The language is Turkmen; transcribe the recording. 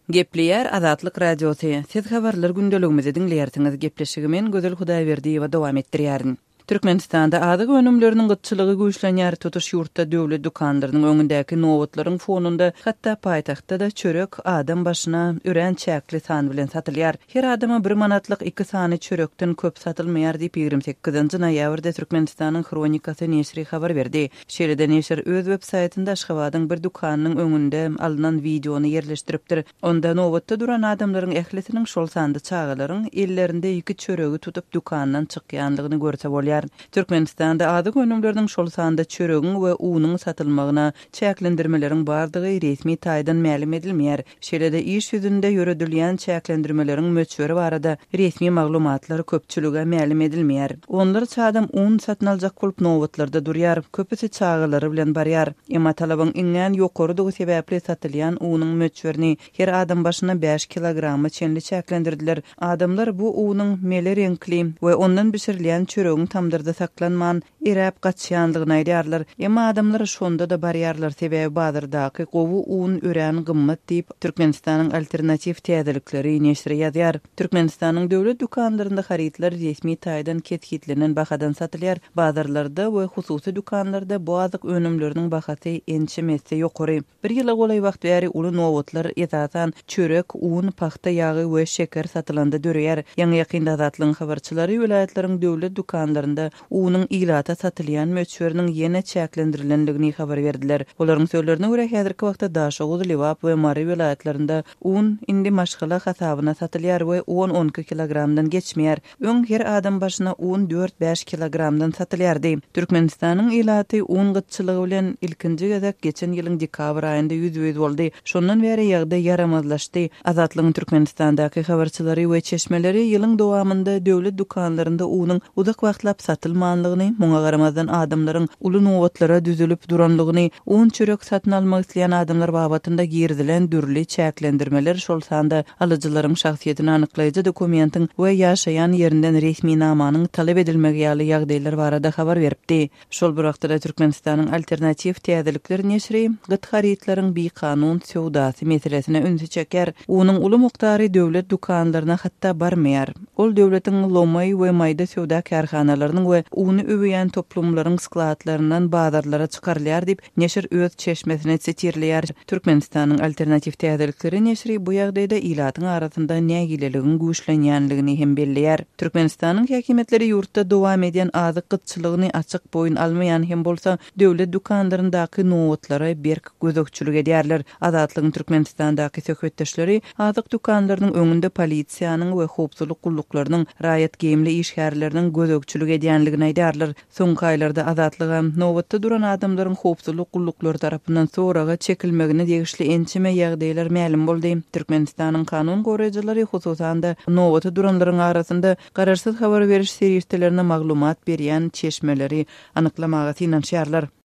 Gepleýär Azatlyk Radiosy, Siz habarlar gündeligimizi diňleýärsiňiz. Gepleşigi men Gözel Hudaýberdiýewa dowam etdirýärin. Türkmenistanda azyk önümleriniň gytçylygy güýçlenýär, tutuş ýurtda döwlet dükanlarynyň öňündäki nobatlaryň fonunda hatda paýtagtda-da çörek adam başyna örän çäkli san bilen satylýar. Her adama bir manatlyk iki sany çörekden köp satylmaýar diýip, 28 nji noýabrda Türkmenistanyň Hronikasy neşiri habar berdi. Şeýle-de neşir öz web saýtynda Aşgabadyň bir dükanynyň öňünde alnan wideony ýerleşdiripdir. Onda nobatda duran adamlaryň ählisiniň, şol sanda çagalaryň ellerinde iki çöregi tutup dükandan çykýandygyny görse bolýar. Türkmenistanda azyk önümleriniň, şol sanda çöregiň we unuň satylmagyna çäklendirmeleriň bardygy resmi taýdan mälim edilmeýär. Şeýle-de iş ýüzünde ýöredilýän çäklendirmeleriň möçberi barada resmi maglumatlar köpçülige mälim edilmeýär. Onlarça adam un satyn aljak bolup nobatlarda durýar, köpüsi çagalary bilen barýar. Emma talabyň iňňän ýokarydygy sebäpli satylýan unuň möçberini her adam başyna bäş kilograma çenli çäklendirdiler. Adamlar bu unuň mele reňkli we ondan bişirilýän çöregiň tamdyrda saklanman, eräp gaçýandygyny aýdýarlar. Emma adamlar şonda-da barýarlar, sebäbi bazardaky gowy un örän gymmat diýip, Türkmenistanyň Alternatiw täzelikleri neşiri ýazýar. Türkmenistanyň döwlet dükanlarynda harytlar resmi taýdan kesgitlenen bahadan satylýar, bazarlarda we hususy dükanlarda bu azyk önümleriniň bahasy ençeme esse ýokary. Bir ýyla golaý wagt bäri uly nobatlar, esasan, çörek, un, pagta ýagy we şeker satylanda döreýär. Ýaňy-ýakynda Azatlygyň habarçylary welaýatlaryň döwlet dükanlarynda unuň ilata satylýan möçberiniň ýene çäklendirilendigini habar berdiler. Olaryň sözlerine görä, häzirki wagtda Daşoguz, Lebap we Mary welaýatlarynda un indi maşgala hasabyna satylýar we on-on iki kilogramdan geçmeýär. Öň her adam başyna un dört-bäş kilogramdan satylýardy. Türkmenistanyň ilaty un gytçylygy bilen ilkinji gezek geçen ýylyň dekabr aýynda ýüzbe-ýüz boldy. Şondan bäri ýagdaý ýaramazlaşdy. Azatlygyň Türkmenistandaky habarçylary we çeşmeleri ýylyň dowamynda döwlet dükanlarynda unuň uzak wagtlap satylmanlygyny, muňa garamazdan adamlaryň uly nobatlara düzülip duranlygyny, un-çörek satyn almak isleýän adamlar babatynda girizilen dürli çäklendirmeler, şol sanda alyjylaryň şahsyýetini anyklaýjy dokumentiň we ýaşaýan ýerinden resminamanyň talap edilmegi ýaly ýagdaýlar barada habar beripdi. Şol bir wagtda-da Türkmenistanyň Alternatiw täzelikler neşiri gyt harytlaryň bikanun söwdasy meselesine ünsi çekýär. Unuň uly mukdary döwlet dükanlaryna hatda barmaýar. Ol döwletiň lomaý we maýda söwda kärhanalarynyň we uny öwýän toplumlaryň skladlaryndan bazarlara çykarylýar diýip, Neşir öz çeşmesini sitirleýär. Türkmenistanyň Alternatiw täzelikleri neşiri bu ýagdaýda ilatyň arasynda nägileligiň güýçlenýänligini hem belleýär. Türkmenistanyň häkimiýetleri ýurtda dowam edýän azyk gytçylygyny açyk boýun almaýan hem bolsa, döwlet dükanlaryndaky nobatlara berk gözegçilik edýärler. Azatlygyň Türkmenistandaky söhbetdeşleri azyk dükanlarynyň öňünde polisiýanyň we howpsuzlyk gulluklarynyň raýat geýimli işgärleriniň gözegçilik edýänligini aýdýarlar. Soňky aýlarda Azatlyga nobatda duran adamlaryň howpsuzlyk gulluklary tarapyndan soraga çekilmegine degişli ençeme ýagdaýlar mälim boldy. Türkmenistanyň kanun goraýjylary, hususan-da, nobata duranlaryň arasynda garaşsyz habar beriş serişdelerine maglumat berýän çeşmeleri anyklamaga synanyşýarlar.